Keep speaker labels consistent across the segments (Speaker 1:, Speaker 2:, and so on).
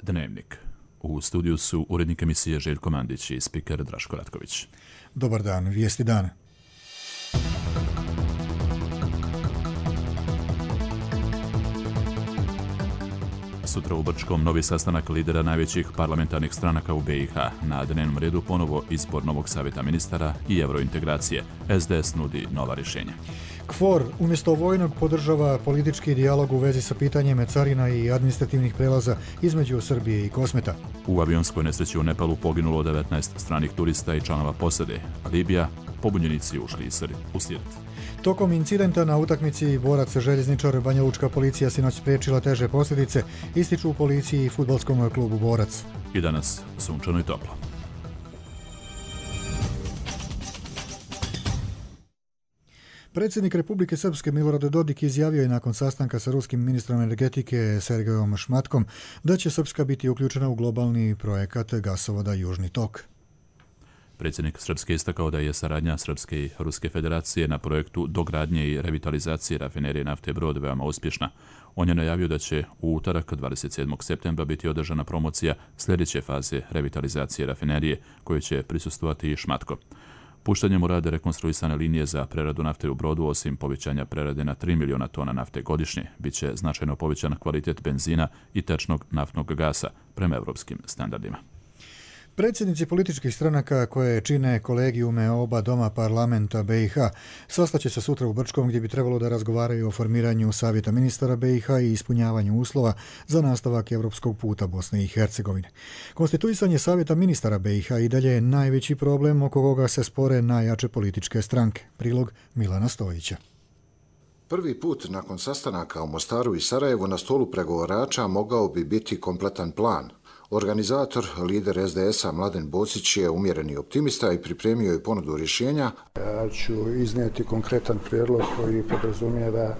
Speaker 1: Dnevnik. U studiju su urednik emisije Željko Mandić i spiker Draško Ratković.
Speaker 2: Dobar dan, vijesti dana.
Speaker 1: Sutra u Brčkom novi sastanak lidera najvećih parlamentarnih stranaka u BiH. Na dnevnom redu ponovo izbor novog savjeta ministara i eurointegracije. SDS nudi nova rješenja.
Speaker 2: KFOR umjesto vojnog podržava politički dijalog u vezi sa pitanjem carina i administrativnih prelaza između Srbije i Kosmeta.
Speaker 1: U avionskoj nesreći u Nepalu poginulo 19 stranih turista i članova posade. Libija, pobunjenici ušli u Sirt.
Speaker 2: Tokom incidenta na utakmici Borac-Željezničar Banja Lučka policija sinoć spriječila teže posljedice, ističu u policiji i fudbalskom klubu Borac.
Speaker 1: I danas sunčano i toplo.
Speaker 2: Predsjednik Republike Srpske Milorad Dodik izjavio je nakon sastanka sa ruskim ministrom energetike Sergejom Šmatkom da će Srpska biti uključena u globalni projekat gasovoda Južni tok.
Speaker 1: Predsjednik Srpske istakao da je saradnja Srpske i Ruske federacije na projektu dogradnje i revitalizacije rafinerije nafte Brod veoma uspješna. On je najavio da će u utorak 27. septembra biti održana promocija sljedeće faze revitalizacije rafinerije koje će prisustvovati i Šmatko. Puštanjem u rad rekonstruisane linije za preradu nafte u Brodu, osim povećanja prerade na 3 miliona tona nafte godišnje, bit će značajno povećan kvalitet benzina i tečnog naftnog gasa prema europskim standardima.
Speaker 2: Predsjednici političkih stranaka koje čine kolegijume oba doma parlamenta BiH sastaće se sutra u Brčkom gdje bi trebalo da razgovaraju o formiranju savjeta ministara BiH i ispunjavanju uslova za nastavak europskog puta Bosne i Hercegovine. Konstituisanje savjeta ministara BiH i dalje je najveći problem oko koga se spore najjače političke stranke. Prilog Milana Stojića.
Speaker 3: Prvi put nakon sastanaka u Mostaru i Sarajevu na stolu pregovarača mogao bi biti kompletan plan. Organizator, lider SDS-a Mladen Bocić je umjereni optimista i pripremio je ponudu rješenja.
Speaker 4: Ja ću iznijeti konkretan prijedlog koji podrazumijeva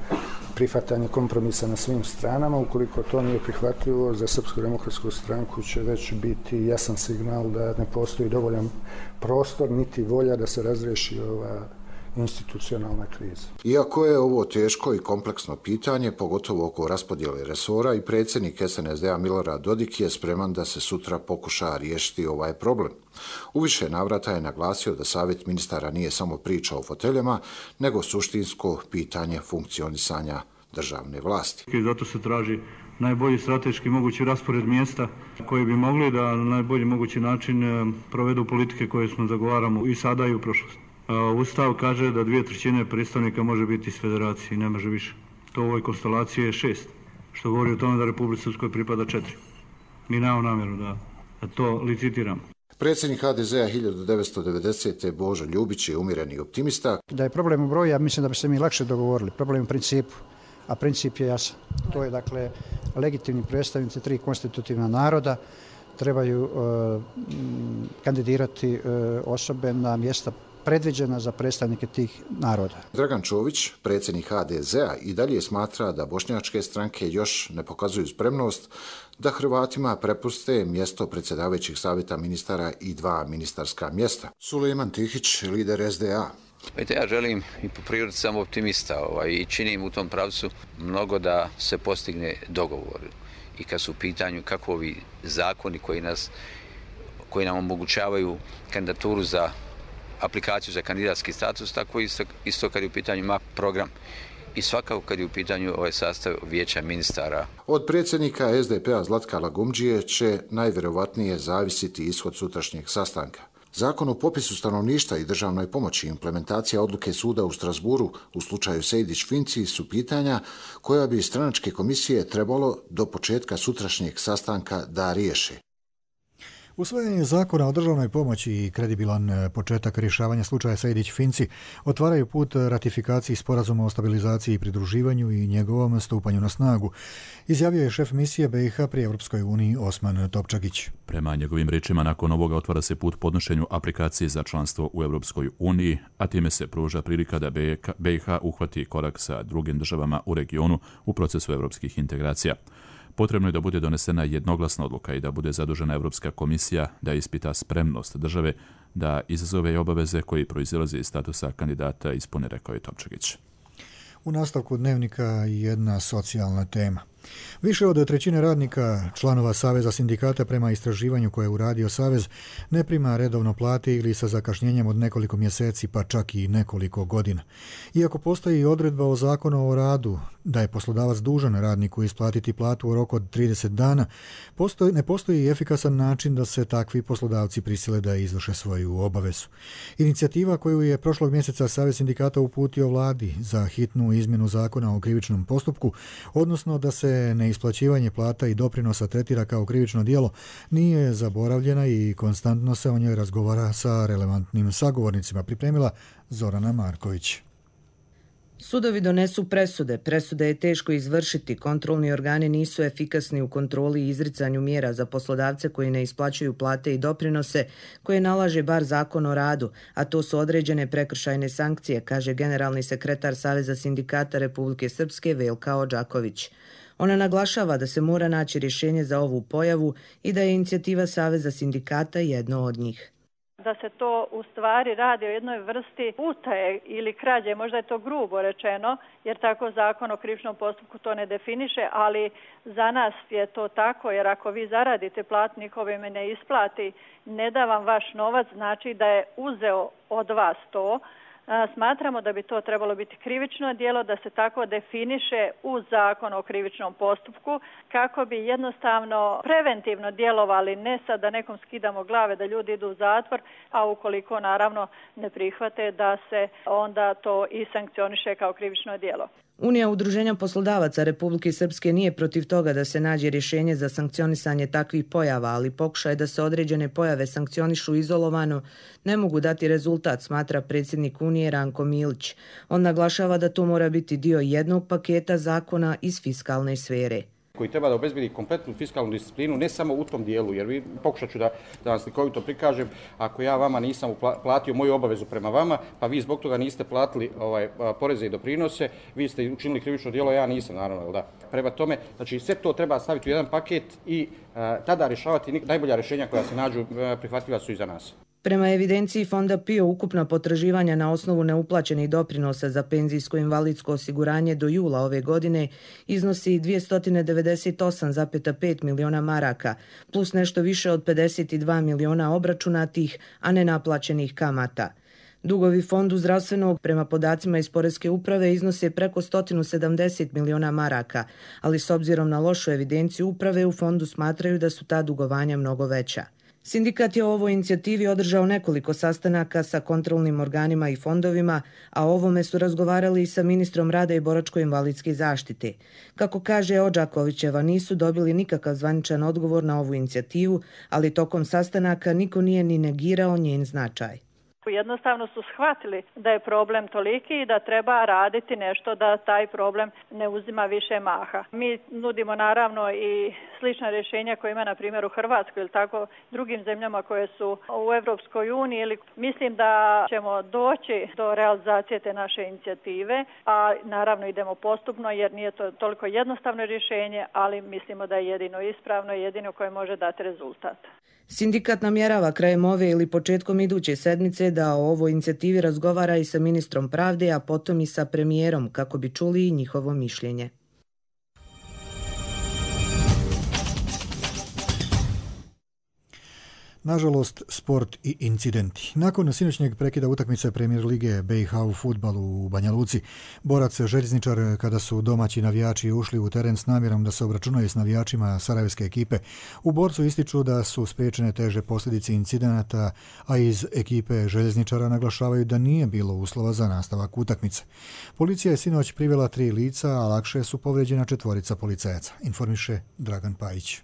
Speaker 4: prihvatanje kompromisa na svim stranama. Ukoliko to nije prihvatljivo, za Srpsku demokratsku stranku će već biti jasan signal da ne postoji dovoljan prostor niti volja da se razriješi ova institucionalna kriza.
Speaker 3: Iako je ovo teško i kompleksno pitanje, pogotovo oko raspodjele resora, i predsjednik SNSD-a Milorad Dodik je spreman da se sutra pokuša riješiti ovaj problem. U više navrata je naglasio da savjet ministara nije samo priča o foteljama, nego suštinsko pitanje funkcionisanja državne vlasti.
Speaker 5: I zato se traži najbolji strateški mogući raspored mjesta koji bi mogli da na najbolji mogući način provedu politike koje smo zagovaramo i sada i u prošlosti. Ustav kaže da 2/3 predstavnika može biti iz federacije, ne može više. To u ovoj konstelaciji je 6, što govori o tome da Republici Srpskoj pripada 4. Mi nemamo namjeru da to licitiramo.
Speaker 3: Predsjednik HDZ-a 1990. Božo Ljubić je umjereni optimista.
Speaker 6: Da je problem u broju, ja mislim da bi se mi lakše dogovorili. Problem u principu, a princip je jasan. To je dakle legitimni predstavnici 3 konstitutivna naroda trebaju kandidirati osobe na mjesta predviđena za predstavnike tih naroda.
Speaker 3: Dragan Čović, predsjednik HDZ-a, i dalje smatra da bošnjačke stranke još ne pokazuju spremnost da Hrvatima prepuste mjesto predsjedavajućih savjeta ministara i 2 ministarska mjesta. Sulejman Tihić, lider SDA.
Speaker 7: Ja želim i po prirodi sam optimista i činim u tom pravcu mnogo da se postigne dogovor. I kad su u pitanju kako ovi zakoni koji nam omogućavaju kandidaturu za aplikaciju za kandidatski status, tako isto kad je u pitanju MAP program i svakako kad je u pitanju ovaj sastav vijeća ministara.
Speaker 3: Od predsjednika SDP-a Zlatka Lagumdžije će najvjerovatnije zavisiti ishod sutrašnjeg sastanka. Zakon o popisu stanovništva i državnoj pomoći i implementacija odluke suda u Strasburu u slučaju Sejdić-Finci su pitanja koja bi stranačke komisije trebalo do početka sutrašnjeg sastanka da riješe.
Speaker 2: Usvajanje zakona o državnoj pomoći i kredibilan početak rješavanja slučaja Sejdić-Finci otvaraju put ratifikaciji sporazuma o stabilizaciji i pridruživanju i njegovom stupanju na snagu, izjavio je šef misije BiH pri Europskoj uniji Osman Topčagić.
Speaker 1: Prema njegovim riječima, nakon ovoga otvara se put podnošenju aplikacije za članstvo u Europskoj uniji, a time se pruža prilika da BiH uhvati korak sa drugim državama u regionu u procesu europskih integracija. Potrebno je da bude donesena jednoglasna odluka i da bude zadužena Europska komisija da ispita spremnost države da izazove i obaveze koji proizilaze iz statusa kandidata ispune, rekao je Topčagić.
Speaker 2: U nastavku dnevnika jedna socijalna tema. Više od trećine radnika, članova Saveza sindikata prema istraživanju koje je uradio Savez, ne prima redovno plate ili sa zakašnjenjem od nekoliko mjeseci pa čak i nekoliko godina. Iako postoji odredba o zakonu o radu da je poslodavac dužan radniku isplatiti platu u roku od 30 dana, ne postoji efikasan način da se takvi poslodavci prisile da izvrše svoju obavezu. Inicijativa koju je prošlog mjeseca Savez sindikata uputio vladi za hitnu izmjenu zakona o krivičnom postupku, odnosno da se neisplaćivanje plata i doprinosa tretira kao krivično djelo, nije zaboravljena i konstantno se o njoj razgovara sa relevantnim sagovornicima, pripremila Zorana Marković.
Speaker 8: Sudovi donesu presude. Presude je teško izvršiti. Kontrolni organi nisu efikasni u kontroli i izricanju mjera za poslodavce koji ne isplaćuju plate i doprinose koje nalaže bar zakon o radu, a to su određene prekršajne sankcije, kaže generalni sekretar Saveza sindikata Republike Srpske Velka Odžaković. Ona naglašava da se mora naći rješenje za ovu pojavu i da je inicijativa Saveza sindikata jedno od njih.
Speaker 9: Da se to u stvari radi o jednoj vrsti utaje ili krađe, možda je to grubo rečeno, jer tako zakon o krivičnom postupku to ne definiše, ali za nas je to tako, jer ako vi zaradite platu, niko vam ne isplati, ne da vam vaš novac, znači da je uzeo od vas to. Smatramo da bi to trebalo biti krivično djelo, da se tako definiše u zakon o krivičnom postupku, kako bi jednostavno preventivno djelovali, ne sad da nekom skidamo glave, da ljudi idu u zatvor, a ukoliko naravno ne prihvate da se onda to i sankcioniše kao krivično djelo.
Speaker 8: Unija udruženja poslodavaca Republike Srpske nije protiv toga da se nađe rješenje za sankcionisanje takvih pojava, ali pokušaj da se određene pojave sankcionišu izolovano ne mogu dati rezultat, smatra predsjednik Unije Ranko Milić. On naglašava da to mora biti dio jednog paketa zakona iz fiskalne sfere,
Speaker 10: koji treba da obezbedi kompletnu fiskalnu disciplinu, ne samo u tom dijelu, jer pokušat ću da vam slikovito prikažem, ako ja vama nisam platio moju obavezu prema vama, pa vi zbog toga niste platili poreze i doprinose, vi ste učinili krivično djelo, ja nisam, naravno, da. Prema tome, znači sve to treba staviti u jedan paket i tada rješavati najbolja rješenja koja se nađu prihvatljiva su i za nas.
Speaker 8: Prema evidenciji Fonda PIO, ukupna potraživanja na osnovu neuplaćenih doprinosa za penzijsko-invalidsko osiguranje do jula ove godine iznosi 298,5 miliona maraka, plus nešto više od 52 miliona obračunatih, a nenaplaćenih kamata. Dugovi Fondu zdravstvenog, prema podacima iz Poreske uprave, iznose preko 170 miliona maraka, ali s obzirom na lošu evidenciju uprave u Fondu smatraju da su ta dugovanja mnogo veća. Sindikat je o ovoj inicijativi održao nekoliko sastanaka sa kontrolnim organima i fondovima, a o ovome su razgovarali i sa ministrom rada i boračko-invalidske zaštite. Kako kaže Odžakovićeva, nisu dobili nikakav zvaničan odgovor na ovu inicijativu, ali tokom sastanaka niko nije ni negirao njen značaj.
Speaker 9: Jednostavno su shvatili da je problem toliki i da treba raditi nešto da taj problem ne uzima više maha. Mi nudimo naravno i slična rješenja koje ima na primjer u Hrvatskoj ili tako drugim zemljama koje su u Europskoj uniji. Mislim da ćemo doći do realizacije te naše inicijative, a naravno idemo postupno jer nije to toliko jednostavno rješenje, ali mislimo da je jedino ispravno i jedino koje može dati rezultat.
Speaker 8: Sindikat namjerava krajem ove ili početkom iduće sedmice da o ovoj inicijativi razgovara i sa ministrom pravde, a potom i sa premijerom, kako bi čuli i njihovo mišljenje.
Speaker 2: Nažalost, sport i incidenti. Nakon sinoćnjeg prekida utakmice Premier lige BiH u fudbalu u Banja Luci, Borac Željezničar, kada su domaći navijači ušli u teren s namjerom da se obračunaju s navijačima sarajevske ekipe, u Borcu ističu da su spriječene teže posljedice incidenata, a iz ekipe Željezničara naglašavaju da nije bilo uslova za nastavak utakmice. Policija je sinoć privela 3 lica, a lakše su povrijeđena 4 policajaca, informiše Dragan Pajić.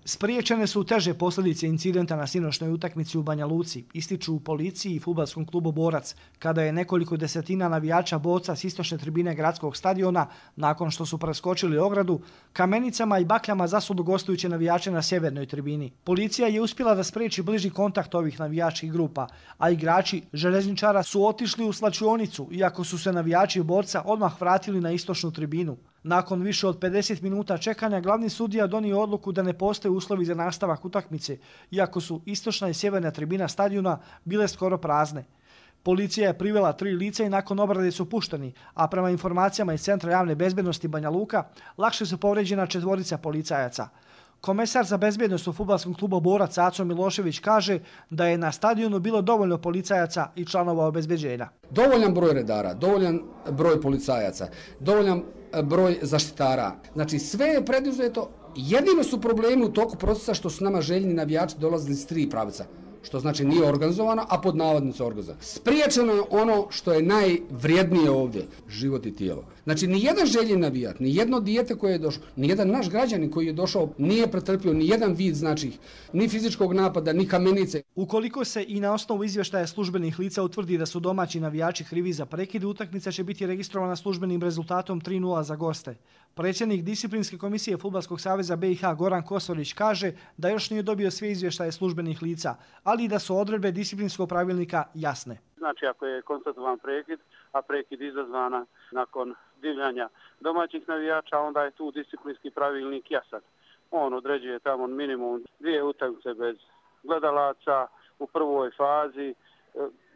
Speaker 11: Spriječene su teže posljedice incidenta na sinoćnoj utakmici u Banja Luci, ističu u policiji i fudbalskom klubu Borac, kada je nekoliko desetina navijača Borca s istočne tribine gradskog stadiona, nakon što su preskočili ogradu, kamenicama i bakljama zasulu gostujuće navijače na sjevernoj tribini. Policija je uspjela da spriječi bliži kontakt ovih navijačkih grupa, a igrači Željezničara su otišli u slačionicu, iako su se navijači Borca odmah vratili na istočnu tribinu. Nakon više od 50 minuta čekanja, glavni sudija donio odluku da ne postoje uslovi za nastavak utakmice, iako su istočna i sjeverna tribina stadiona bile skoro prazne. Policija je privela 3 lica i nakon obrade su pušteni, a prema informacijama iz Centra javne bezbednosti Banja Luka, lakše su povređena 4 policajaca. Komesar za bezbjednost u fudbalskom klubu Borac Aco Milošević kaže da je na stadionu bilo dovoljno policajaca i članova obezbeđenja.
Speaker 12: Dovoljan broj redara, dovoljan broj policajaca, dovoljan broj zaštitara. Znači sve je preduzeto, jedino su problemi u toku procesa što su nama željni navijači dolazili iz 3 pravca. Što znači nije organizovano, a pod navodnicom organizovano. Spriječeno je ono što je najvrijednije ovdje, život i tijelo. Znači nijedan željeni navijat, nijedno dijete koje je došlo, nijedan naš građanin koji je došao nije pretrpio nijedan vid, znači ni fizičkog napada, ni kamenice.
Speaker 11: Ukoliko se i na osnovu izvještaja službenih lica utvrdi da su domaći navijači krivi za prekid, utakmica će biti registrovana službenim rezultatom 3:0 za goste. Predsjednik Disciplinske komisije Fudbalskog saveza BiH Goran Kosorić kaže da još nije dobio sve izvještaje službenih lica, ali i da su odredbe disciplinskog pravilnika jasne.
Speaker 13: Znači ako je konstatovan prekid, a prekid izazvana nakon divljanja domaćih navijača, onda je tu disciplinski pravilnik jasan. On određuje tamo minimum 2 utakmice bez gledalaca u prvoj fazi,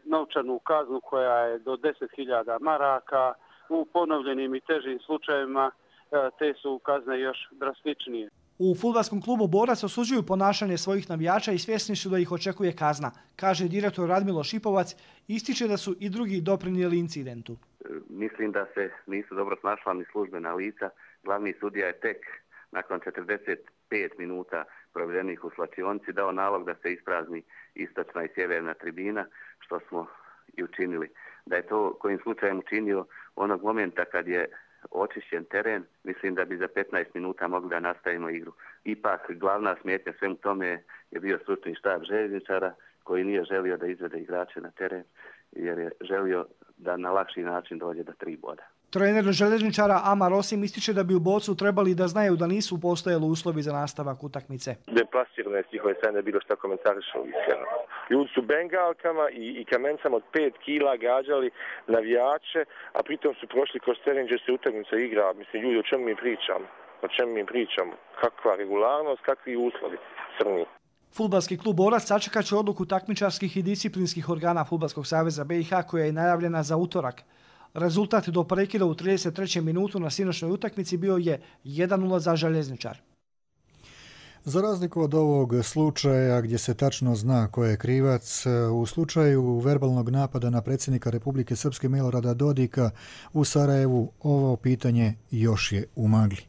Speaker 13: novčanu kaznu koja je do 10.000 maraka, u ponovljenim i težim slučajevima te su kazne još drastičnije.
Speaker 11: U fudbalskom klubu Borac osuđuju ponašanje svojih navijača i svjesni su da ih očekuje kazna, kaže direktor Radmilo Šipovac, ističe da su i drugi doprinijeli incidentu.
Speaker 14: Mislim da se nisu dobro snašla ni službena lica. Glavni sudija je tek nakon 45 minuta provedenih u slačionici dao nalog da se isprazni istočna i sjeverna tribina, što smo i učinili. Da je to kojim slučajem učinio onog momenta kad je očišćen teren, mislim da bi za 15 minuta mogli da nastavimo igru. Ipak glavna smetnja svemu tome je bio stručni štab željezničara koji nije želio da izvede igrače na teren jer je želio da na lakši način dođe do 3 boda.
Speaker 11: Trener željezničara Amar Osim ističe da bi u Bocu trebali da znaju da nisu postojali uslovi za nastavak utakmice.
Speaker 15: Deplasirano je s njihove strane bilo što komentarišu iskreno. Ljudi su bengalkama i kamencama od 5 kila gađali navijače, a pritom su prošli kroz teren gdje se utakmica igra. Mislim, ljudi, o čemu mi pričamo? O čemu mi pričamo? Kakva regularnost, kakvi uslovi? Crni.
Speaker 11: Fudbalski klub Borac sačekat će odluku takmičarskih i disciplinskih organa Fudbalskog saveza BiH koja je najavljena za utorak. Rezultat do prekida u 33. minutu na sinoćnoj utakmici bio je 1:0 za Željezničar.
Speaker 2: Za razliku od ovog slučaja gdje se tačno zna ko je krivac, u slučaju verbalnog napada na predsjednika Republike Srpske Milorada Dodika u Sarajevu ovo pitanje još je u magli.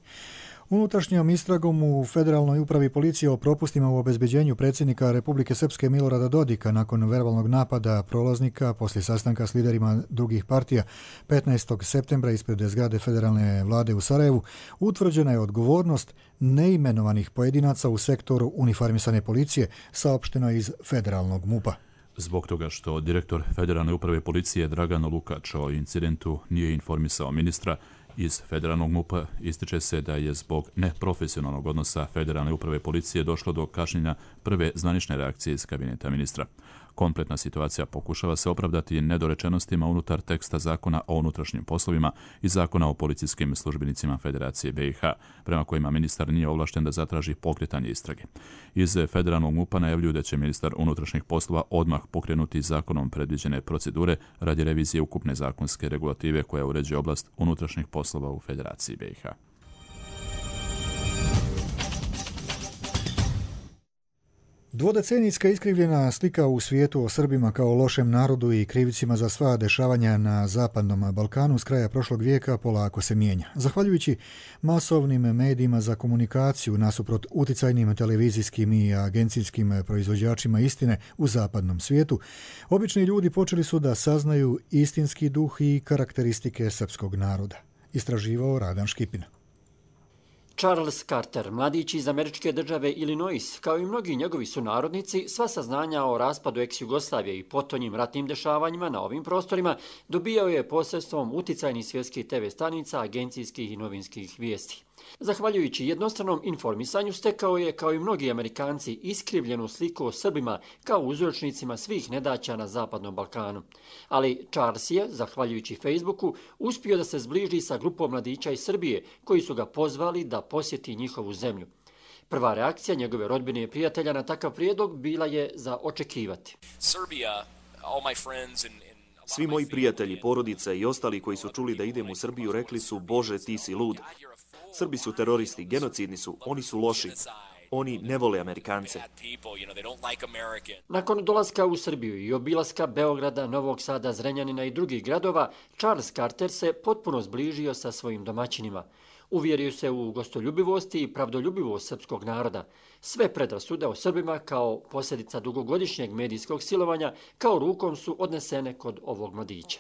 Speaker 2: Unutrašnjom istragom u Federalnoj upravi policije o propustima u obezbeđenju predsjednika Republike Srpske Milorada Dodika nakon verbalnog napada prolaznika poslije sastanka s liderima drugih partija 15. septembra ispred zgrade federalne vlade u Sarajevu utvrđena je odgovornost neimenovanih pojedinaca u sektoru uniformisane policije, saopšteno iz federalnog MUP-a.
Speaker 1: Zbog toga što direktor Federalne uprave policije Dragan Lukač o incidentu nije informisao ministra, iz federalnog MUP-a ističe se da je zbog neprofesionalnog odnosa Federalne uprave policije došlo do kašnjenja prve zvanične reakcije iz kabineta ministra. Kompletna situacija pokušava se opravdati nedorečenostima unutar teksta zakona o unutrašnjim poslovima i zakona o policijskim službenicima Federacije BiH, prema kojima ministar nije ovlašten da zatraži pokretanje istrage. Iz federalnog MUP-a najavljuju da će ministar unutrašnjih poslova odmah pokrenuti zakonom predviđene procedure radi revizije ukupne zakonske regulative koja uređuje oblast unutrašnjih poslova u Federaciji BiH.
Speaker 2: Dvodecenijska iskrivljena slika u svijetu o Srbima kao lošem narodu i krivicima za sva dešavanja na Zapadnom Balkanu s kraja prošlog vijeka polako se mijenja. Zahvaljujući masovnim medijima za komunikaciju nasuprot uticajnim televizijskim i agencijskim proizvođačima istine u zapadnom svijetu, obični ljudi počeli su da saznaju istinski duh i karakteristike srpskog naroda. Istraživao Radan Škipin.
Speaker 16: Charles Carter, mladić iz američke države Illinois, kao i mnogi njegovi sunarodnici, sva saznanja o raspadu ex-Jugoslavije i potonjim ratnim dešavanjima na ovim prostorima dobijao je posredstvom uticajnih svjetskih TV stanica, agencijskih i novinskih vijesti. Zahvaljujući jednostranom informisanju stekao je, kao i mnogi Amerikanci, iskrivljenu sliku o Srbima kao uzročnicima svih nedaća na Zapadnom Balkanu. Ali Charles je, zahvaljujući Facebooku, uspio da se zbliži sa grupom mladića iz Srbije koji su ga pozvali da posjeti njihovu zemlju. Prva reakcija njegove rodbine i prijatelja na takav prijedlog bila je za očekivati.
Speaker 17: Serbia, all my friends and Svi moji prijatelji, porodica i ostali koji su čuli da idem u Srbiju rekli su: Bože, ti si lud. Srbi su teroristi, genocidni su, oni su loši. Oni ne vole Amerikance.
Speaker 16: Nakon dolaska u Srbiju i obilaska Beograda, Novog Sada, Zrenjanina i drugih gradova, Charles Carter se potpuno zbližio sa svojim domaćinima. Uvjerio se u gostoljubivosti i pravdoljubivost srpskog naroda. Sve predrasude o Srbima kao posljedica dugogodišnjeg medijskog silovanja kao rukom su odnesene kod ovog mladića.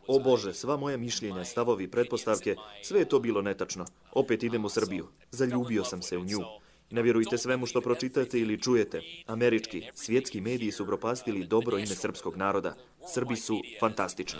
Speaker 17: O Bože, sva moja mišljenja, stavovi, pretpostavke, sve je to bilo netačno. Opet idem u Srbiju. Zaljubio sam se u nju. Ne vjerujte svemu što pročitate ili čujete. Američki, svjetski mediji su propastili dobro ime srpskog naroda. Srbi su fantastični.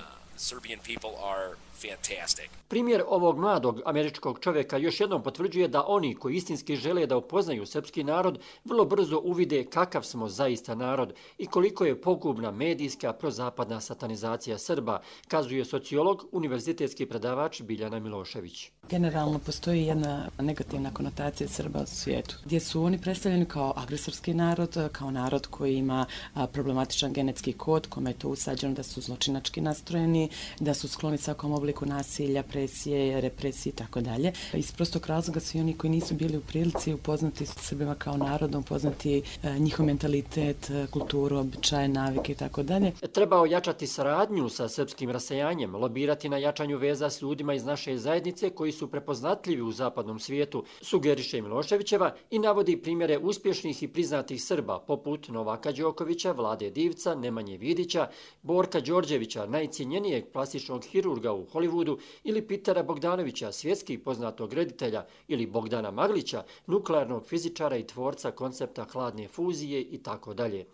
Speaker 16: Primjer ovog mladog američkog čovjeka još jednom potvrđuje da oni koji istinski žele da upoznaju srpski narod vrlo brzo uvide kakav smo zaista narod i koliko je pogubna medijska prozapadna satanizacija Srba, kazuje sociolog, univerzitetski predavač Biljana Milošević.
Speaker 18: Generalno postoji jedna negativna konotacija Srba u svijetu, gdje su oni predstavljeni kao agresorski narod, kao narod koji ima problematičan genetski kod, kome je to usađeno da su zločinački nastrojeni, da su skloni svakom obliku nasilja, presije, represije i tako dalje. Iz prostog razloga svi oni koji nisu bili u prilici upoznati s Srbima kao narodom, upoznati njihov mentalitet, kulturu, običaje, navike i tako dalje.
Speaker 16: Treba ojačati saradnju sa srpskim rasejanjem, lobirati na jačanju veza s ljudima iz naše zajednice koji su prepoznatljivi u zapadnom svijetu, sugeriše Miloševićeva i navodi primjere uspješnih i priznatih Srba poput Novaka Đokovića, Vlade Divca, Nemanje Vidića, Borka Đorđevića, najcijenjenijeg plastičnog hirurga u Hollywoodu, ili Pitera Bogdanovića, svjetski poznatog reditelja, ili Bogdana Maglića, nuklearnog fizičara i tvorca koncepta hladne fuzije i tako dalje.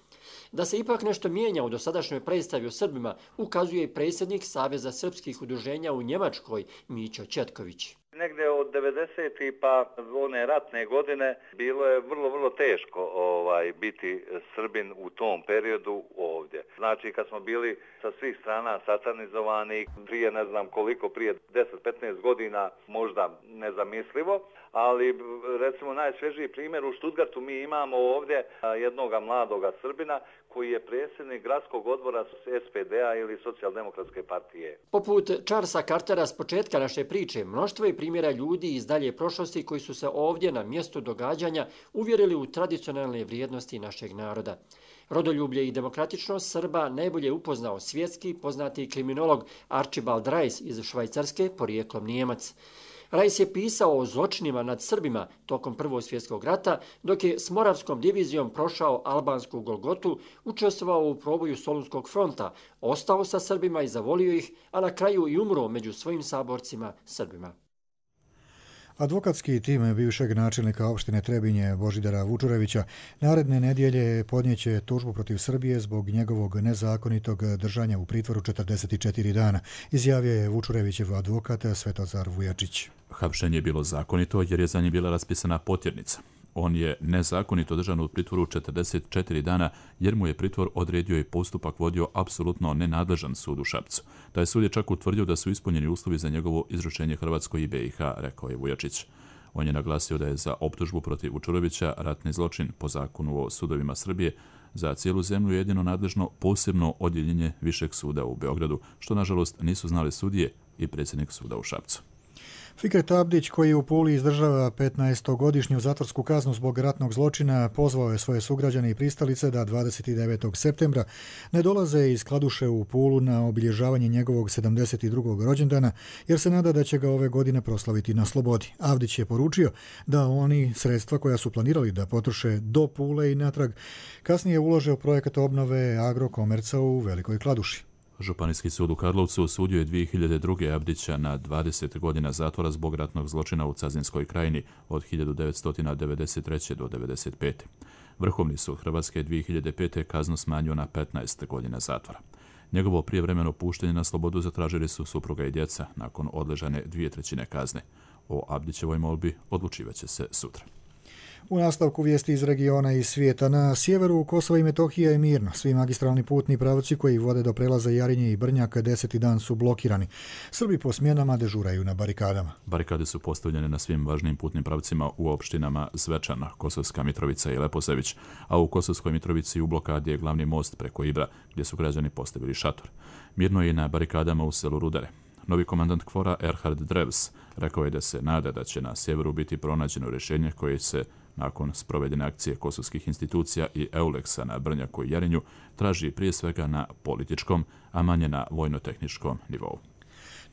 Speaker 16: Da se ipak nešto mijenja u dosadašnjoj predstavi o Srbima, ukazuje i predsjednik Saveza srpskih udruženja u Njemačkoj, Mićo Četković.
Speaker 19: Negde od 90. pa one ratne godine bilo je vrlo teško biti Srbin u tom periodu ovdje. Znači kad smo bili sa svih strana satanizovani, prije ne znam koliko, prije 10-15 godina možda nezamislivo, ali recimo najsvježiji primjer u Stuttgartu mi imamo ovdje jednoga mladoga Srbina koji je predsjednik gradskog odbora SPD-a ili Socijaldemokratske partije.
Speaker 16: Poput Charlesa Cartera s početka naše priče, mnoštvo je primjera ljudi iz dalje prošlosti koji su se ovdje na mjestu događanja uvjerili u tradicionalne vrijednosti našeg naroda. Rodoljublje i demokratičnost Srba najbolje upoznao svjetski poznati kriminolog Archibald Rice iz Švajcarske, porijeklom Nijemac. Rice je pisao o zločinima nad Srbima tokom Prvog svjetskog rata, dok je s Moravskom divizijom prošao albansku Golgotu, učestvovao u proboju Solunskog fronta, ostao sa Srbima i zavolio ih, a na kraju i umro među svojim saborcima Srbima.
Speaker 2: Advokatski tim bivšeg načelnika opštine Trebinje Božidara Vučurevića naredne nedjelje podnijeće tužbu protiv Srbije zbog njegovog nezakonitog držanja u pritvoru 44 dana, izjavio je Vučurevićev advokat Svetozar Vujačić.
Speaker 1: Hapšenje je bilo zakonito jer je za njih bila raspisana potjernica. On je nezakonito držan u pritvoru 44 dana jer mu je pritvor odredio i postupak vodio apsolutno nenadležan sud u Šapcu. Taj sud je čak utvrdio da su ispunjeni uslovi za njegovo izručenje Hrvatskoj i BiH, rekao je Vujačić. On je naglasio da je za optužbu protiv Vučurevića ratni zločin po zakonu o sudovima Srbije za cijelu zemlju jedino nadležno posebno odjeljenje Višeg suda u Beogradu, što nažalost nisu znali sudije i predsjednik suda u Šapcu.
Speaker 2: Fikret Abdić, koji u Puli izdržava 15-godišnju zatvorsku kaznu zbog ratnog zločina, pozvao je svoje sugrađane i pristalice da 29. septembra ne dolaze iz Kladuše u Pulu na obilježavanje njegovog 72. rođendana, jer se nada da će ga ove godine proslaviti na slobodi. Avdić je poručio da oni sredstva koja su planirali da potroše do Pule i natrag kasnije ulože u projekat obnove Agrokomerca u Velikoj Kladuši.
Speaker 1: Županijski sud u Karlovcu osudio je 2002. Abdića na 20 godina zatvora zbog ratnog zločina u Cazinskoj krajini od 1993. do 1995. Vrhovni sud Hrvatske 2005. kaznu smanjio na 15 godina zatvora. Njegovo prijevremeno puštenje na slobodu zatražili su supruga i djeca nakon odležane 2/3 kazne. O Abdićevoj molbi odlučivaće se sutra.
Speaker 2: U nastavku vijesti iz regiona i svijeta. Na sjeveru Kosova i Metohije je mirno. Svi magistralni putni pravci koji vode do prelaza Jarinje i Brnjak 10. dan su blokirani. Srbi po smjenama dežuraju na barikadama.
Speaker 1: Barikade su postavljene na svim važnim putnim pravcima u opštinama Zvečan, Kosovska Mitrovica i Leposević, a u Kosovskoj Mitrovici u blokadi je glavni most preko Ibra, gdje su građani postavili šator. Mirno je i na barikadama u selu Rudare. Novi komandant KFOR-a Erhard Drevs rekao je da se nada da će na sjeveru biti pronađeno rješenje koje se nakon sprovedene akcije kosovskih institucija i EULEX-a na Brnjaku i Jarinju traži prije svega na političkom, a manje na vojno-tehničkom nivou.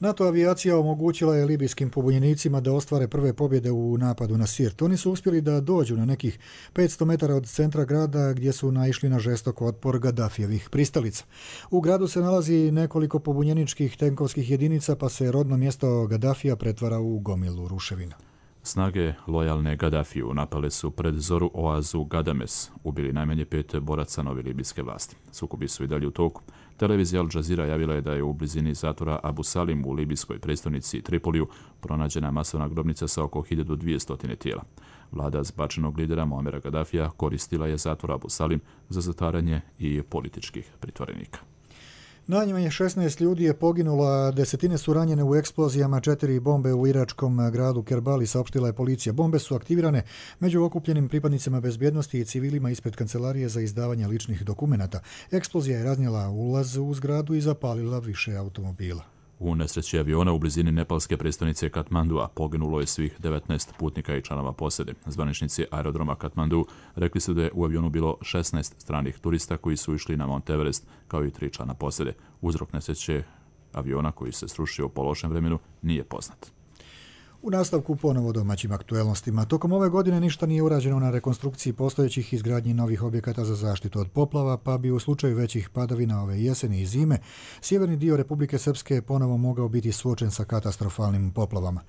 Speaker 2: NATO avijacija omogućila je libijskim pobunjenicima da ostvare prve pobjede u napadu na Sirt. Oni su uspjeli da dođu na nekih 500 metara od centra grada gdje su naišli na žestok otpor Gadafijevih pristalica. U gradu se nalazi nekoliko pobunjeničkih tenkovskih jedinica, pa se rodno mjesto Gadafija pretvara u gomilu ruševina.
Speaker 1: Snage lojalne Gadafiju napale su pred zoru oazu Gadames, ubili najmanje 5 boraca nove libijske vlasti. Sukobi su i dalje u toku. Televizija Al Jazeera javila je da je u blizini zatvora Abu Salim u libijskoj prestonici Tripoliju pronađena masovna grobnica sa oko 1200 tijela. Vlada zbačenog lidera Muamera Gadafija koristila je zatvor Abu Salim za zatvaranje i političkih pritvorenika.
Speaker 2: Najmanje 16 ljudi je poginulo, a desetine su ranjene u eksplozijama 4 bombe u iračkom gradu Kerbali, saopštila je policija. Bombe su aktivirane među okupljenim pripadnicima bezbjednosti i civilima ispred kancelarije za izdavanje ličnih dokumenata. Eksplozija je raznijela ulaz u zgradu i zapalila više automobila.
Speaker 1: U nesreći aviona u blizini nepalske prestonice Katmandua poginulo je svih 19 putnika i članova posade. Zvaničnici aerodroma Katmandu rekli su da je u avionu bilo 16 stranih turista koji su išli na Mount Everest, kao i 3 člana posade. Uzrok nesreće aviona koji se srušio u lošem vremenu nije poznat.
Speaker 2: U nastavku ponovo domaćim aktuelnostima. Tokom ove godine ništa nije urađeno na rekonstrukciji postojećih izgradnji novih objekata za zaštitu od poplava, pa bi u slučaju većih padavina ove jeseni i zime sjeverni dio Republike Srpske ponovo mogao biti suočen sa katastrofalnim poplavama.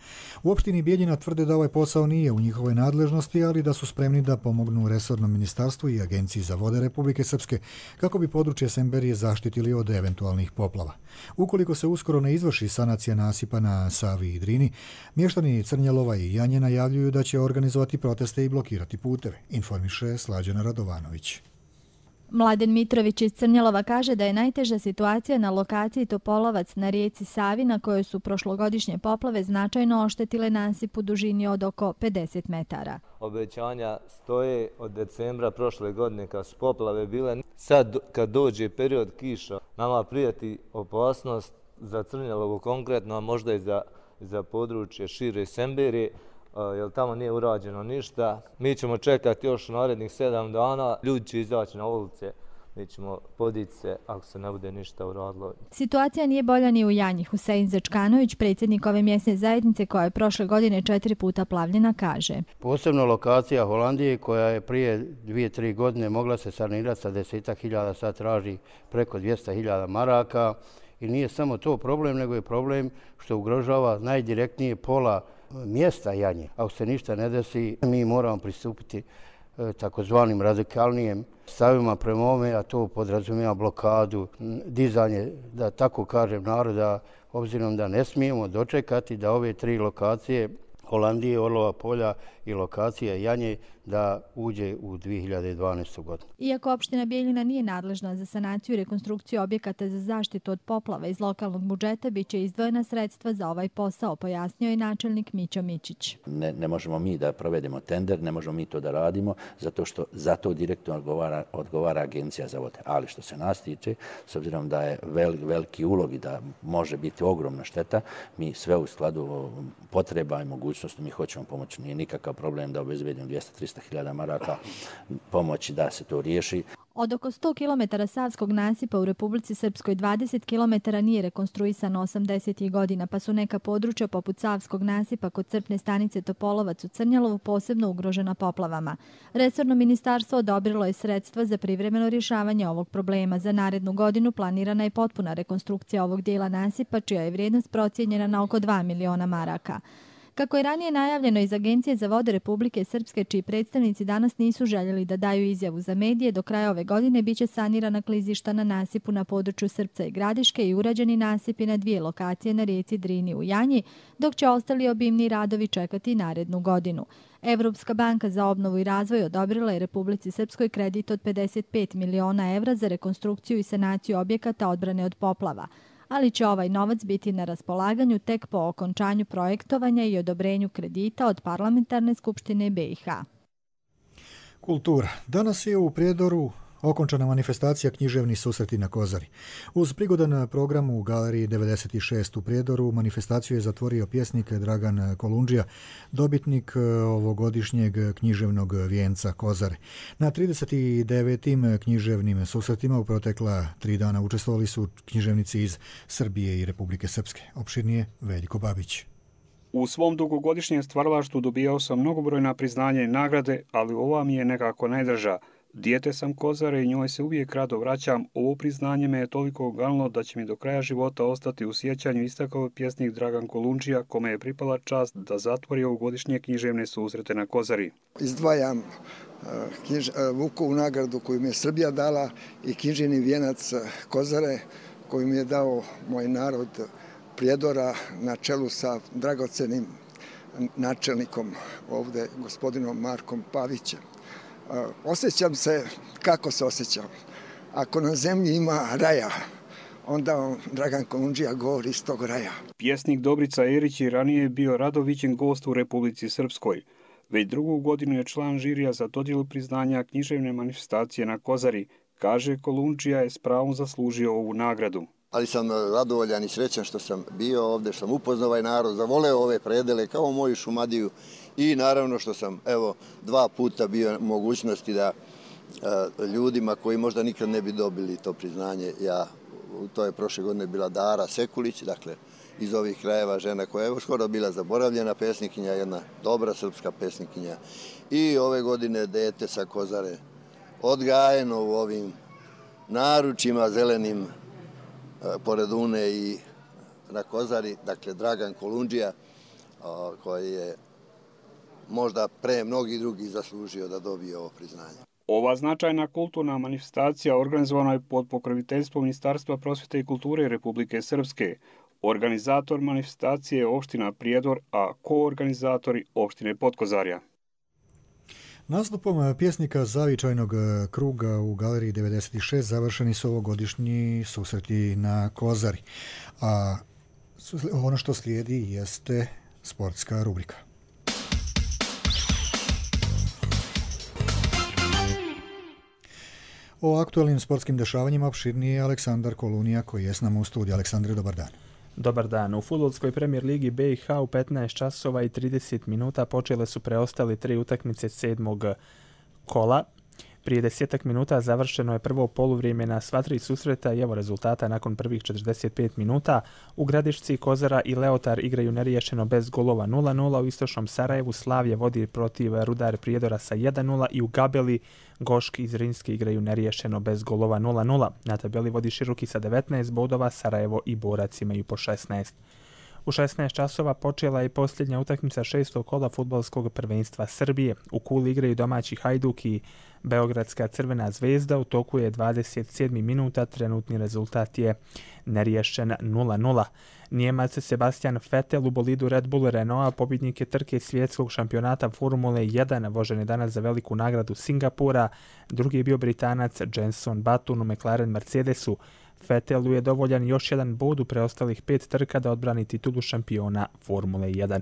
Speaker 2: U opštini Bijeljina tvrde da ovaj posao nije u njihovoj nadležnosti, ali da su spremni da pomognu resornom ministarstvu i Agenciji za vode Republike Srpske kako bi područje Semberije zaštitili od eventualnih poplava. Ukoliko se uskoro ne izvrši sanacija nasipa na Savi i Drini, mještani Crnjalova i Janje najavljuju da će organizovati proteste i blokirati puteve, informiše Slađana Radovanović.
Speaker 20: Mladen Mitrović iz Crnjalova kaže da je najteža situacija na lokaciji Topolovac na rijeci Savi, na kojoj su prošlogodišnje poplave značajno oštetile nasip u dužini od oko 50 metara.
Speaker 21: Obećanja stoje od decembra prošle godine kad su poplave bile. Sad kad dođe period kiša, nama prijeti opasnost za Crnjalovo konkretno, a možda i za područje šire Semberije, jer tamo nije urađeno ništa. Mi ćemo čekati još narednih 7 dana, ljudi će izaći na ulice, mi ćemo podići se ako se ne bude ništa uradilo.
Speaker 20: Situacija nije bolja ni u Janji. Husein Zečkanović, predsjednik ove mjesne zajednice koja je prošle godine 4 puta plavljena, kaže.
Speaker 22: Posebno lokacija Holandije koja je prije 2-3 godine mogla se sanirati sa 10.000, sad traži preko 200.000 maraka. I nije samo to problem, nego je problem što ugrožava najdirektnije pola mjesta Janje. Ako se ništa ne desi, mi moramo pristupiti takozvanim radikalnijem stavima prema ovome, a to podrazumijeva blokadu, dizanje, da tako kažem, naroda, obzirom da ne smijemo dočekati da ove 3 lokacije Holandije, Orlova polja i lokacija Janje da uđe u 2012. godinu.
Speaker 20: Iako opština Bijeljina nije nadležna za sanaciju i rekonstrukciju objekata za zaštitu od poplava iz lokalnog budžeta, bit će izdvojena sredstva za ovaj posao, pojasnio je načelnik Mićo Mićić.
Speaker 23: Ne možemo mi da provedemo tender, ne možemo mi to da radimo, zato što za to direktno odgovara Agencija za vode. Ali što se nas tiče, s obzirom da je veliki ulog i da može biti ogromna šteta, mi sve u skladu potreba i mogućnosti mi hoćemo pomoći. Nije nikakav problem da obezbedimo 200-300.000 maraka pomoći da se to riješi.
Speaker 20: Od oko 100 km savskog nasipa u Republici Srpskoj 20 km nije rekonstruisano 80. godina, pa su neka područja poput savskog nasipa kod crpne stanice Topolovac u Crnjalovu posebno ugrožena poplavama. Resorno ministarstvo odobrilo je sredstva za privremeno rješavanje ovog problema. Za narednu godinu planirana je potpuna rekonstrukcija ovog dijela nasipa, čija je vrijednost procijenjena na oko 2 miliona maraka. Kako je ranije najavljeno iz Agencije za vode Republike Srpske, čiji predstavnici danas nisu željeli da daju izjavu za medije, do kraja ove godine biće sanirana klizišta na nasipu na području Srpca i Gradiške i urađeni nasipi na 2 lokacije na rijeci Drini u Janji, dok će ostali obimni radovi čekati narednu godinu. Evropska banka za obnovu i razvoj odobrila je Republici Srpskoj kredit od 55 miliona evra za rekonstrukciju i sanaciju objekata odbrane od poplava, ali će ovaj novac biti na raspolaganju tek po okončanju projektovanja i odobrenju kredita od Parlamentarne skupštine BiH.
Speaker 2: Kultura. Danas je u Prijedoru okončana manifestacija Književni susreti na Kozari. Uz prigodan program u Galeriji 96 u Prijedoru manifestaciju je zatvorio pjesnik Dragan Kolundžija, dobitnik ovogodišnjeg književnog vijenca Kozare. Na 39. književnim susretima u protekla 3 dana učestvovali su književnici iz Srbije i Republike Srpske. Opširnije Veljko Babić.
Speaker 4: U svom dugogodišnjem stvaralaštvu dobijao sam mnogobrojna priznanja i nagrade, ali ova mi je nekako najdraža. Dijete sam Kozare i njoj se uvijek rado vraćam. Ovo priznanje me je toliko ogalno da će mi do kraja života ostati u sjećanju, istakao je pjesnik Dragan Kolundžija, kome je pripala čast da zatvori ovogodišnje književne susrete na Kozari.
Speaker 5: Izdvajam Vukovu nagradu koju mi je Srbija dala i književni vijenac Kozare koju mi je dao moj narod Prijedora na čelu sa dragocenim načelnikom ovdje, gospodinom Markom Pavićem. Osjećam se kako se osjećam. Ako na zemlji ima raja, onda Dragan Kolundžija govori iz tog raja.
Speaker 4: Pjesnik Dobrica Erić je ranije bio rado viđen gost u Republici Srpskoj. Već 2. godinu je član žirija za dodjelu priznanja književne manifestacije na Kozari. Kaže, Kolundžija je s pravom zaslužio ovu nagradu.
Speaker 6: Ali sam radovoljan i srećan što sam bio ovdje, što sam upoznao ovaj narod, zavoleo ove predele kao moju Šumadiju i naravno što sam 2 puta bio mogućnosti da ljudima koji možda nikad ne bi dobili to priznanje, to je prošle godine bila Dara Sekulić, dakle iz ovih krajeva, žena koja je skoro bila zaboravljena pesnikinja, jedna dobra srpska pesnikinja, i ove godine dete sa Kozare, odgajeno u ovim naručima zelenim pored Une i na Kozari, dakle Dragan Kolundžija, koji je možda pre mnogih drugih zaslužio da dobije ovo priznanje.
Speaker 4: Ova značajna kulturna manifestacija organizovana je pod pokroviteljstvom Ministarstva prosvjete i kulture Republike Srpske. Organizator manifestacije je opština Prijedor, a koorganizatori opštine Potkozarja.
Speaker 2: Nastupom pjesnika zavičajnog kruga u Galeriji 96 završeni su ovogodišnji susreti na Kozari. A ono što slijedi jeste sportska rubrika. O aktualnim sportskim dešavanjima opširnije je Aleksandar Kolunija koji je s nama u studiju. Aleksandre, dobar dan.
Speaker 24: Dobar dan. U fudbalskoj premijer ligi BiH u 15 časova i 30 minuta počele su preostali 3 utakmice 7. kola. Prije 10 minuta završeno je prvo poluvrijeme na sva 3 susreta i evo rezultata nakon prvih 45 minuta. U Gradišci Kozara i Leotar igraju neriješeno bez golova 0-0. U istočnom Sarajevu Slavje vodi protiv Rudar Prijedora sa 1-0 i u Gabeli Goški i Zrinski igraju neriješeno bez golova 0-0. Na tabeli vodi Široki sa 19 bodova, Sarajevo i Borac imaju po 16. U 16 časova počela je posljednja utakmica 6. kola fudbalskog prvenstva Srbije. U Kuli igraju domaći Hajduk i Beogradska Crvena zvezda. U toku je 27. minuta, trenutni rezultat je neriješen 0-0. Nijemac Sebastian Vettel u bolidu Red Bull Renaulta pobjednik je trke svjetskog šampionata Formule 1, vožen je danas za veliku nagradu Singapura. Drugi je bio Britanac Jenson Button u McLaren Mercedesu. Vettelu je dovoljan još jedan bod u preostalih 5 trka da odbrani titulu šampiona Formule 1.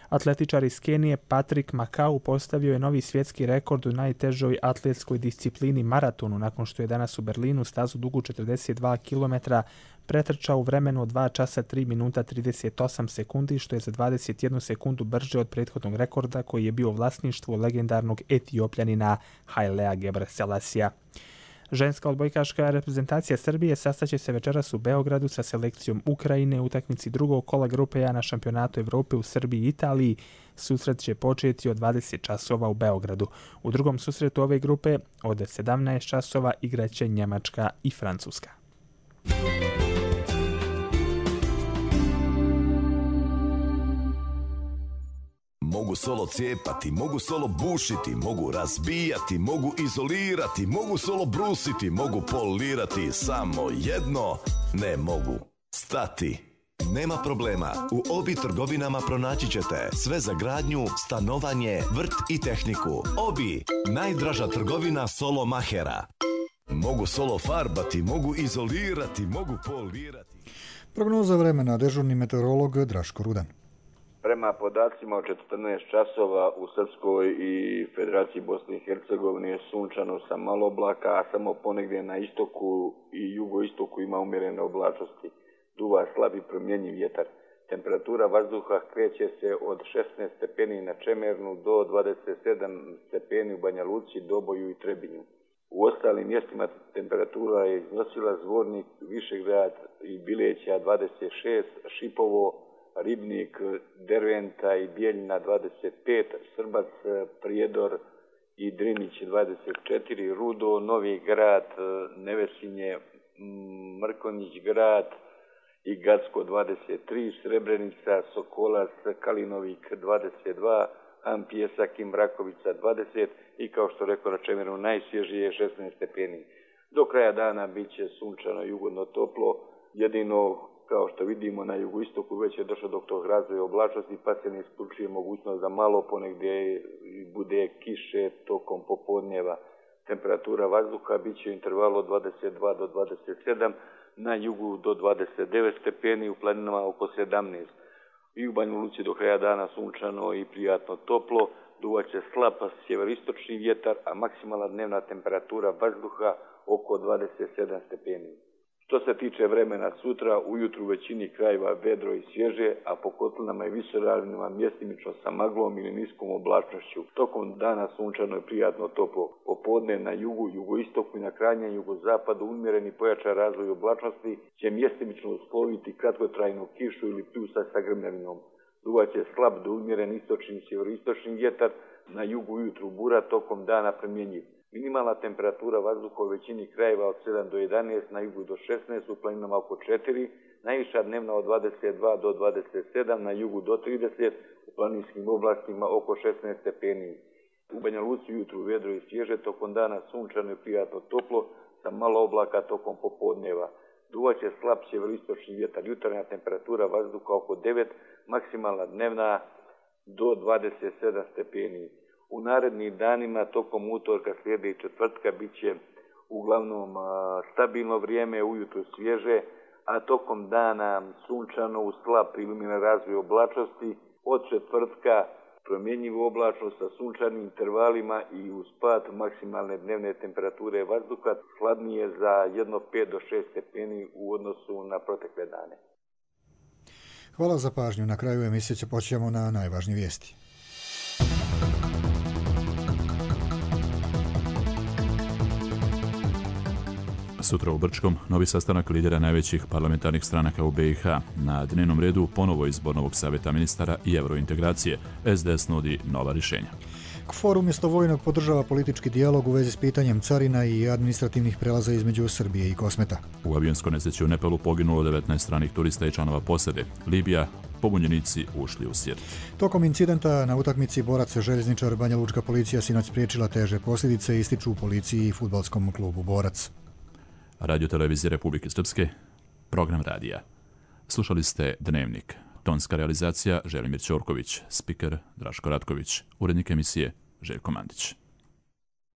Speaker 24: Atletičar iz Kenije Patrick Makau postavio je novi svjetski rekord u najtežoj atletskoj disciplini maratonu nakon što je danas u Berlinu stazu dugu 42 km pretrčao u vremenu od 2 časa 3 minuta 38 sekundi, što je za 21 sekundu brže od prethodnog rekorda koji je bio vlasništvo legendarnog Etiopljanina Hailea Gebrselasija. Ženska odbojkaška reprezentacija Srbije sastaće se večeras u Beogradu sa selekcijom Ukrajine u utakmici 2. kola grupe A na šampionatu Evrope u Srbiji i Italiji. Susret će početi od 20 časova u Beogradu. U drugom susretu ove grupe od 17 časova igraće Njemačka i Francuska.
Speaker 3: Mogu solo cijepati, mogu solo bušiti, mogu razbijati, mogu izolirati, mogu solo brusiti, mogu polirati, samo jedno ne mogu. Stati. Nema problema, u Obi trgovinama pronaći ćete sve za gradnju, stanovanje, vrt i tehniku. Obi, najdraža trgovina solo mahera. Mogu solo farbati, mogu izolirati, mogu polirati.
Speaker 2: Prognoza vremena, dežurni meteorolog Draško Rudan.
Speaker 7: Prema podacima od 14 časova u Srpskoj i Federaciji Bosne i Hercegovine je sunčano sa malo oblaka, a samo ponegdje na istoku i jugoistoku ima umjerene oblačnosti. Duva slabi promjenjiv vjetar. Temperatura vazduha kreće se od 16 stepeni na Čemernu do 27 stepeni u Banja Luci, Doboju i Trebinju. U ostalim mjestima temperatura je iznosila Zvornik, Višegrad i Bileća 26, Šipovo, Ribnik, Derventa i Bijeljina 25, Srbac, Prijedor i Drinić 24, Rudo, Novi Grad, Nevesinje, Mrkonjić Grad i Gacko 23, Srebrenica, Sokolac, Kalinovik 22, Pjesak i Mrakovica 20 i kao što rekao na Čemeru najsvježije 16 stepeni. Do kraja dana bit će sunčano i ugodno toplo, jedino kao što vidimo na jugoistoku već je došlo do tog razvoja oblačnosti pa se ne isključuje mogućnost da malo ponegdje bude kiše tokom popodnjeva. Temperatura vazduha bit će u intervalu od 22 do 27, na jugu do 29 stepeni, u planinama oko 17. I u Banja Luci do kraja dana sunčano i prijatno toplo, duvaće slab sjeveristočni vjetar, a maksimalna dnevna temperatura vazduha oko 27 stepeni. Što se tiče vremena sutra, ujutru u većini krajeva vedro i svježe, a po kotlinama i visoravnima mjestimično sa maglom ili niskom oblačnošću. Tokom dana sunčano i prijatno toplo. Popodne na jugu, jugoistoku i na krajnjem jugozapadu umjereni pojačan razvoj oblačnosti će mjestimično usloviti kratkotrajnu kišu ili pljusak sa grmljavinom. Duvaće slab do umjeren istočni i sjeveristočni vjetar, na jugu ujutru bura, tokom dana promjenjiv. Minimalna temperatura vazduha u većini krajeva od 7 do 11, na jugu do 16, u planinama oko 4, najviša dnevna od 22 do 27, na jugu do 30, u planinskim oblastima oko 16 stepeni. U Banja Luci ujutru vedro i svježe, tokom dana sunčano i prijatno toplo, sa malo oblaka tokom popodneva. Duvaće slab sjeveristočni vjetar, jutarnja temperatura vazduha oko 9, maksimalna dnevna do 27 stepeni. U narednim danima, tokom utorka, srijede i četvrtka, bit će uglavnom stabilno vrijeme, ujutro svježe, a tokom dana sunčano u slab iluminan razvoj oblačnosti, od četvrtka promjenjivu oblačnost sa sunčanim intervalima i uz pad maksimalne dnevne temperature vazduha, hladnije za 1,5 do 6 stepeni u odnosu na protekle dane.
Speaker 2: Hvala za pažnju. Na kraju emisije će počnemo na najvažnije vijesti.
Speaker 1: Sutra u Brčkom novi sastanak lidera najvećih parlamentarnih stranaka u BiH. Na dnevnom redu ponovo izbor novog savjeta ministara i eurointegracije. SDS nudi nova rješenja.
Speaker 2: KFOR umjesto vojnog podržava politički dijalog u vezi s pitanjem carina i administrativnih prelaza između Srbije i Kosmeta.
Speaker 1: U avionskoj nesreći u Nepalu poginulo 19 stranih turista i članova posade. Libija, pobunjenici ušli u Sirt.
Speaker 2: Tokom incidenta na utakmici Borac željezničar Banja Lučka policija sinoć spriječila teže posljedice, ističu u policiji i fudbalskom klubu Borac.
Speaker 1: Radio Televizije Republike Srpske, program radija. Slušali ste Dnevnik. Tonska realizacija Želimir Ćorković, spiker Draško Ratković, urednik emisije Željko Mandić.